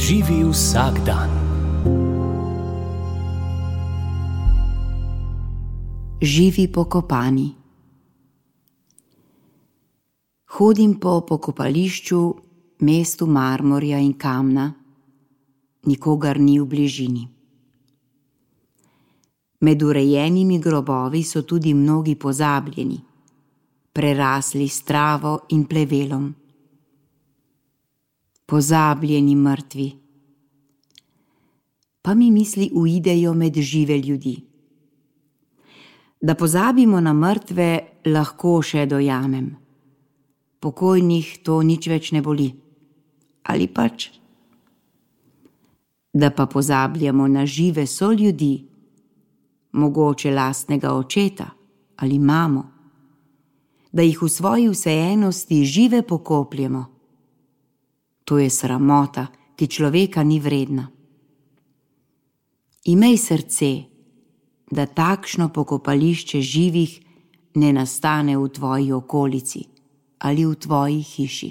Živi vsak dan. Živi pokopani. Hodim po pokopališču, mestu marmorja in kamna, nikogar ni v bližini. Med urejenimi grobovi so tudi mnogi pozabljeni, prerasli s travo in plevelom. Pozabljeni mrtvi. Pa mi misli uidejo med žive ljudi. Da pozabimo na mrtve, lahko še dojamem. Pokojnih to nič več ne boli. Ali pač? Da pa pozabljamo na žive soljudi, mogoče lastnega očeta ali mamo, da jih v svoji vseenosti žive pokopljemo. To je sramota, ki človeka ni vredna. Imej srce, da takšno pokopališče živih ne nastane v tvoji okolici ali v tvoji hiši.